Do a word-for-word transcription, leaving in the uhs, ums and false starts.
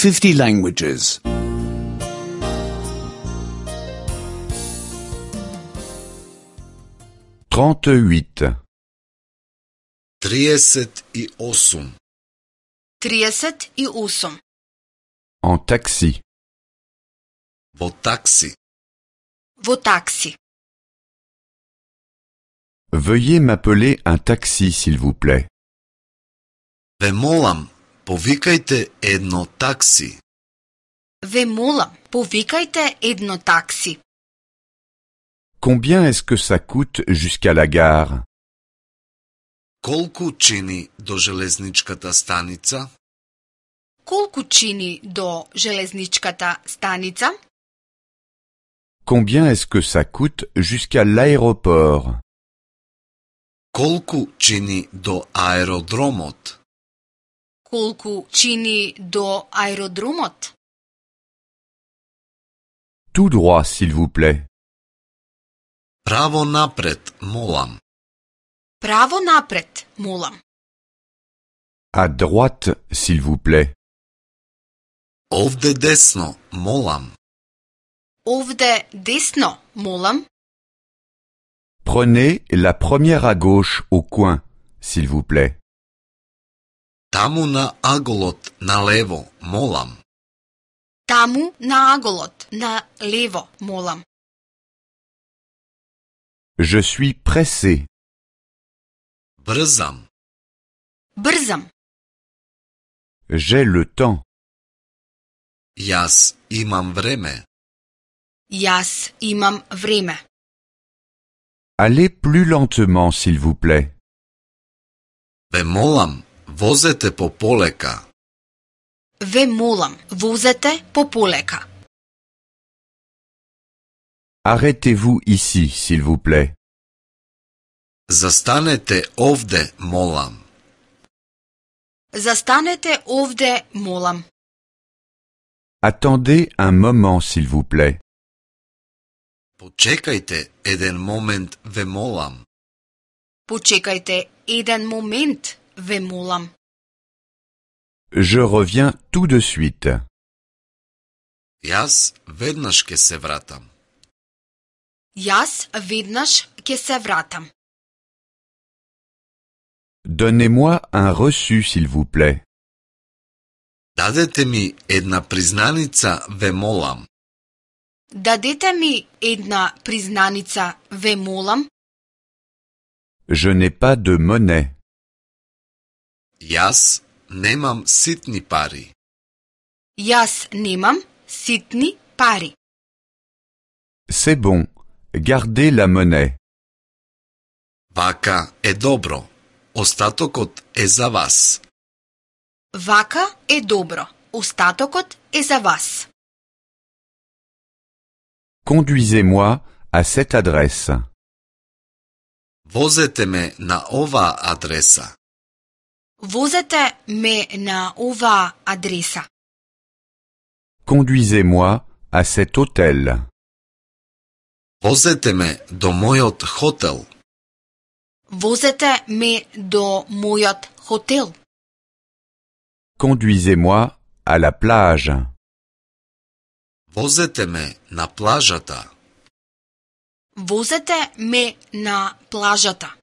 fifty languages. trente-huit. trideset i osam. trideset i osam. En taxi. Vo taksi. Во такси. Veuillez m'appeler un taxi, s'il vous plaît. Ве молам, повикајте едно такси. Ве молам, повикајте едно такси. Combien est-ce que ça coûte jusqu'à la gare? Колку чини до железничката станица? Колку чини до железничката станица? Combien est-ce que ça coûte jusqu'à l'aéroport? Колку чини до аеродромот? Колку чини до аеродромот? Tout droit, s'il vous plaît. Право напред, молам. Право напред, молам. À droite, s'il vous plaît. Овде десно, молам. Овде десно, молам. Prenez la première à gauche au coin, s'il vous plaît. Таму на аголот, налево, молам. Таму на аголот, на лево, молам. Je suis pressé. Брзам. Брзам. J'ai le temps. Јас имам време. Јас имам време. Allez plus lentement, s'il vous plaît. Ве молам, возете пополека. Ве молам, возете пополека. Arrêtez-vous ici, s'il vous plaît. Застанете овде, молам. Застанете овде, молам. Attendez un moment, s'il vous plaît. Почекајте еден момент, ве молам. Почекајте еден момент, ве молам. Je reviens tout de suite. Јас веднаш ке се вратам. Јас веднаш ќе се вратам. Donnez-moi un reçu, s'il vous plaît. Дадете ми една признаница, ве молам. Дадете ми една признаница, ве молам. Je n'ai pas de monnaie. Јас немам ситни пари. Јас немам ситни пари. C'est bon. Gardez la monnaie. Вака е добро. Остатокот е за вас. Вака е добро. Остатокот е за вас. Conduisez-moi à cette adresse. Возете ме на оваа адреса. Возете ме на оваа адреса. Conduisez-moi à cet hôtel. Возете ме до мојот хотел. Возете ме до мојот хотел. Conduisez-moi à la plage. Возете ме на плажата. Возете ме на плажата.